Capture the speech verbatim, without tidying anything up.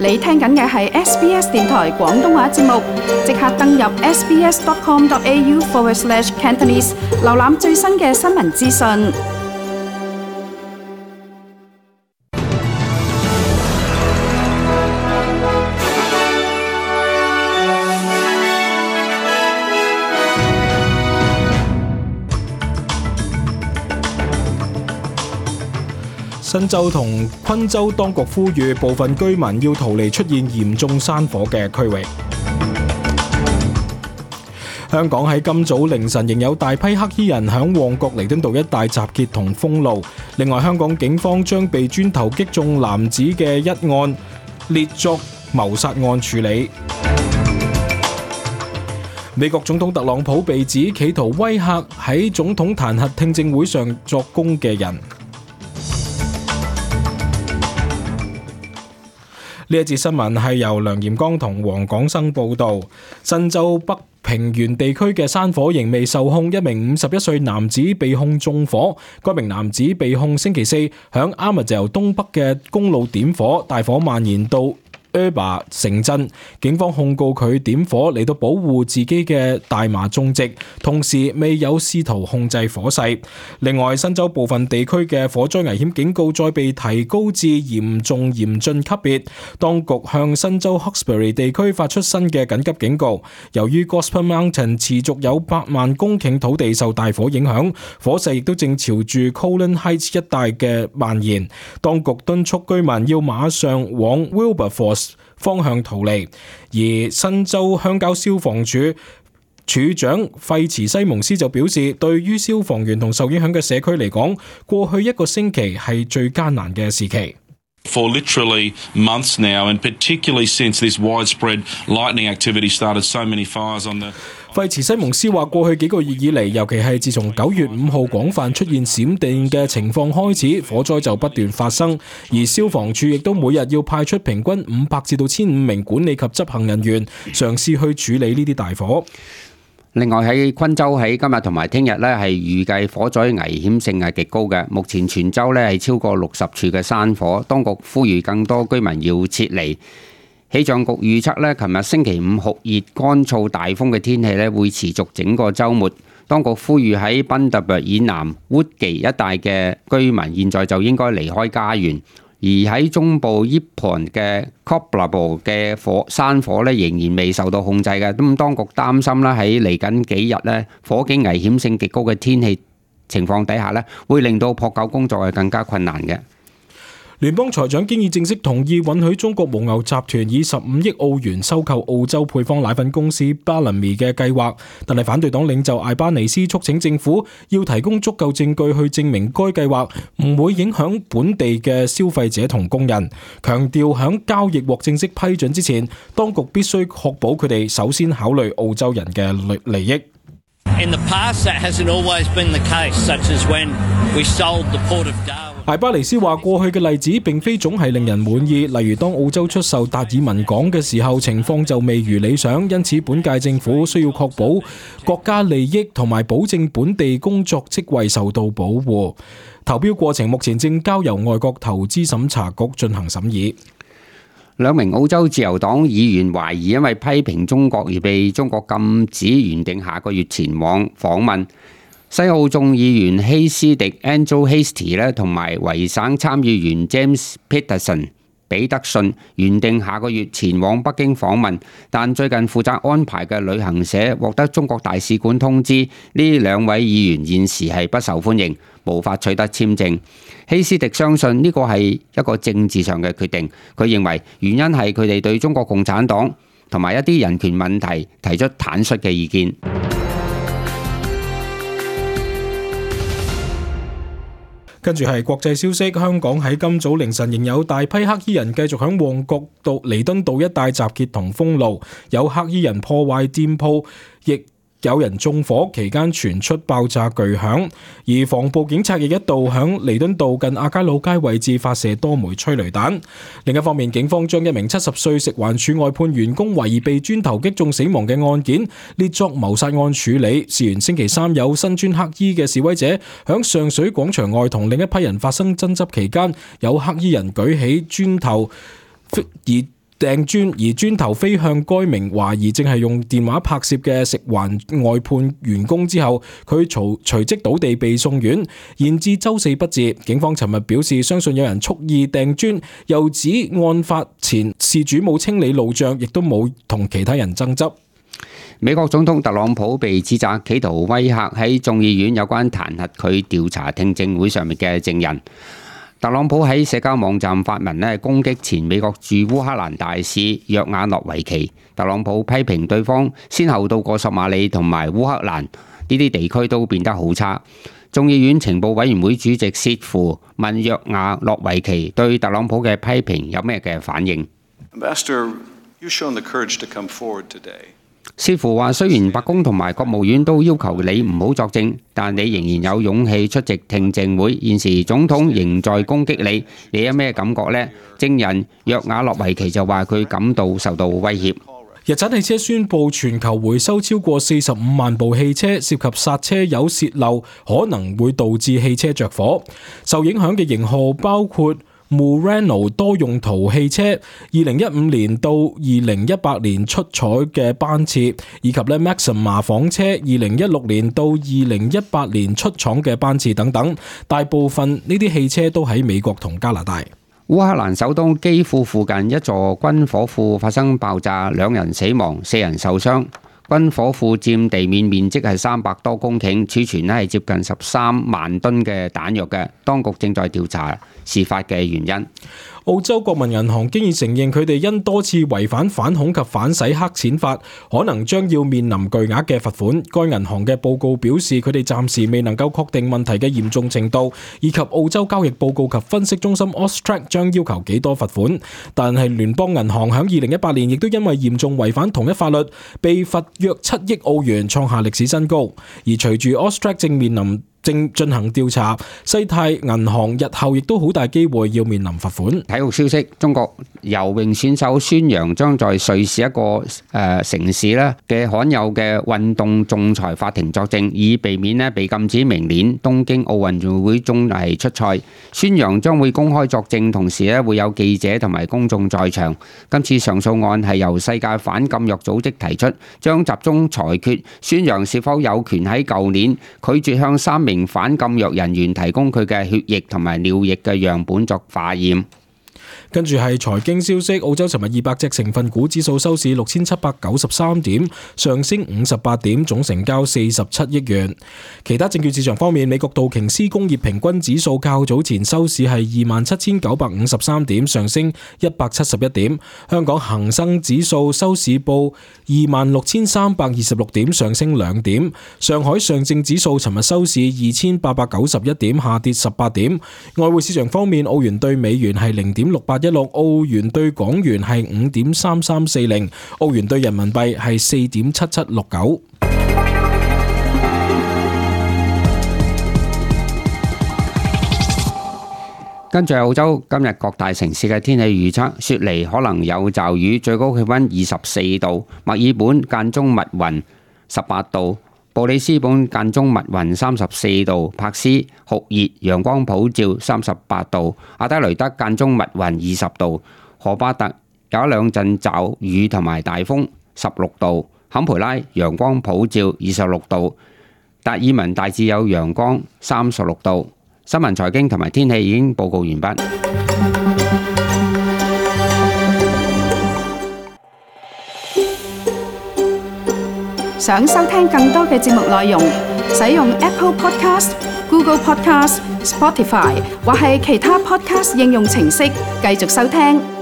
你聽緊嘅係 S B S 電台廣東話節目，即刻登入 sbs.com.au forward slash Cantonese， 瀏覽最新嘅新聞資訊。新州同昆州當局呼籲部分居民要逃離出現嚴重山火嘅區域。香港喺今早凌晨仍有大批黑衣人響旺角彌敦道一帶集結同封路。另外，香港警方將被磚頭擊中男子嘅一案列作謀殺案處理。美國總統特朗普被指企圖威嚇喺總統彈劾聽證會上作供嘅人。呢一節新聞係由梁炎剛同黃廣生報道。新州北平原地區嘅山火仍未受控，一名五十一歲男子被控縱火。該名男子被控星期四響 Armadale 東北嘅公路點火，大火蔓延到Erba 城鎮，警方控告佢點火嚟到保護自己嘅大麻種植，同時未有試圖控制火勢。另外，新州部分地區嘅火災危險警告再被提高至嚴重嚴峻級別。當局向新州 Hawkesbury 地區發出新嘅緊急警告，由於 Gospel Mountain 持續有百萬公頃土地受大火影響，火勢亦都正朝住 Colin Heights 一帶嘅蔓延。當局敦促居民要馬上往 Wilberforce方向逃離，而新州鄉郊消防處處長費茨西蒙斯就表示，對於消防員同受影響嘅社區嚟講，過去一個星期係最艱難嘅時期。For literally months now, and particularly since this widespread lightning activity started so many fires on the 費茨西蒙斯話：過去幾個月以嚟，尤其係自從九月五號廣泛出現閃電嘅情況開始，火災就不斷發生，而消防處亦都每日要派出平均五百至到千五名管理及執行人員，嘗試去處理呢啲大火。另外喺昆州喺今日同埋聽日咧，係預計火災危險性係極高嘅。目前全州咧係超過六十處嘅山火，當局呼籲更多居民要撤離。氣象局預測咧，琴日星期五酷熱、乾燥、大風嘅天氣咧會持續整個週末。當局呼籲喺賓特伯以南、wood記一帶嘅居民，現在就應該離開家園。而喺中部 Yeppoon 嘅 Cobraball 嘅火山火咧，仍然未受到控制嘅。咁當局擔心啦，喺嚟緊幾日咧，火警危險性極高嘅天氣情況底下咧，會令到撲救工作係更加困難嘅。聯邦財長經已正式同意允許中國蒙牛集團以十五億澳元收購澳洲配方奶粉公司 Bellamy 嘅計劃，但係反對黨領袖艾巴尼斯促請政府要提供足夠證據去證明該計劃唔會影響本地嘅消費者同工人，強調響交易獲正式批准之前，當局必須確保佢哋首先考慮澳洲人嘅利益。In the past, that hasn't always been the case, such as when we sold the Port of Darwin. 艾巴尼斯話：過去嘅例子並非總係令人滿意，例如當澳洲出售達爾文港嘅時候，情況就未如理想，因此本屆政府需要確保國家利益同埋保證本地工作職位受到保護。投標過程目前正交由外國投資審查局進行審議。兩名澳洲自由黨議員懷疑因為批評中國而被中國禁止原定下個月前往訪問。西澳眾議員希斯迪 Angel Hastie 咧，同埋維省參議員 James Peterson 彼得遜原定下個月前往北京訪問，但最近負責安排嘅旅行社獲得中國大使館通知，呢兩位議員現時係不受歡迎，無法取得簽證。希斯迪相信呢個係一個政治上嘅決定，佢認為原因係佢哋對中國共產黨同埋一啲人權問題提出坦率嘅意見。跟住係國際消息，香港喺今早凌晨仍有大批黑衣人繼續響旺角道彌敦道一帶集結同封路，有黑衣人破壞店鋪，亦有人縱火，期間傳出爆炸巨響，而防暴警察亦一度響彌敦道近亞皆老街位置發射多枚催淚彈。另一方面，警方將一名七十歲食環署外判員工懷疑被磚頭擊中死亡嘅案件列作謀殺案處理。事緣星期三有身穿黑衣嘅示威者響上水廣場外同另一批人發生爭執期間，有黑衣人舉起磚頭而掟磚，而磚頭飛向該名懷疑正係用電話拍攝嘅食環外判員工之後，佢隨隨即倒地被送院，延至周四不治。警方尋日表示，相信有人蓄意掟磚，又指案發前事主冇清理路障，亦都冇同其他人爭執。美國總統特朗普被指責企圖威嚇喺眾議院有關彈劾佢調查聽證會上面嘅證人。特朗普喺社交網站發文咧，攻擊前美國駐烏克蘭大使約瓦諾維奇。特朗普批評對方先後到過索馬里同埋烏克蘭呢啲地區都變得好差。眾議院情報委員會主席薛夫問約瓦諾維奇對特朗普嘅批評有咩嘅反應。Ambassador, you've shown the courage to come forward today. 似乎話，雖然白宮同埋國務院都要求你唔好作證，但你仍然有勇氣出席聽證會。現時總統仍在攻擊你，你有咩感覺呢？證人約瓦諾維奇就話佢感到受到威脅。日產汽車宣布全球回收超過四十五萬部汽車，涉及剎車油洩漏，可能會導致汽車着火。受影響嘅型號包括Murano 多用途汽車，二零一五年到二零一八年出廠嘅班次，以及咧 Maxima 房車，二零一六年到二零一八年出廠嘅班次等等。大部分呢啲汽車都喺美國同加拿大。烏克蘭首都基輔附近一座軍火庫發生爆炸，兩人死亡，四人受傷。軍火庫佔地面面積係三百多公頃，儲存咧係接近十三萬噸嘅彈藥嘅。當局正在調查事發嘅原因。澳洲國民銀行經已承認佢哋因多次違反反恐及反洗黑錢法，可能將要面臨巨額嘅罰款。該銀行嘅報告表示，佢哋暫時未能夠確定問題嘅嚴重程度，以及澳洲交易報告及分析中心 Austrac 將要求幾多罰款。但係聯邦銀行響二零一八年亦都因為嚴重違反同一法律，被罰約七億澳元，創下歷史新高。而隨住 Austrac 正面臨正進行調查，西太銀行日後亦都好大機會要面臨罰款。體育消息：中國游泳選手孫楊將在瑞士一個誒、呃、城市咧嘅罕有嘅運動仲裁法庭作證，以避免咧被禁止明年東京奧運會中係出賽。孫楊將會公開作證，同時咧會有記者同埋公眾在場。今次上訴案係由世界反禁藥組織提出，將集中裁決孫楊是否有權喺舊年拒絕向三名反禁藥人員提供佢嘅血液同埋尿液嘅樣本作化驗。跟住係財經消息，澳洲尋日二百隻成分股指數收市六千七百九十三點，上升五十八點，總成交四十七億元。其他證券市場方面，美國道瓊斯工業平均指數較早前收市係二萬七千九百五十三點，上升一百七十一點。香港恒生指數收市報二萬六千三百二十六點，上升兩點。上海上證指數尋日收市二千八百九十一點，下跌十八點。外匯市場方面，澳元對美元係零點六八一六，澳元對港元係五點三三四零，澳元對人民幣係四點七七六九。跟住澳洲今日各大城市嘅天氣預測：雪梨可能有驟雨，最高氣溫二十四度；墨爾本間中密雲，十八度；布里斯本間中密雲，三十四度；珀斯酷熱，陽光普照，三十八度；阿德雷德間中密雲，二十度；荷巴特有一兩陣驟雨同埋大風，十六度；坎培拉陽光普照，二十六度；達爾文大致有陽光，三十六度。新聞財經同埋天氣已經報告完畢。想收聽更多嘅節目內容，使用 Apple Podcast、Google Podcast、Spotify 或係其他 Podcast 應用程式繼續收聽。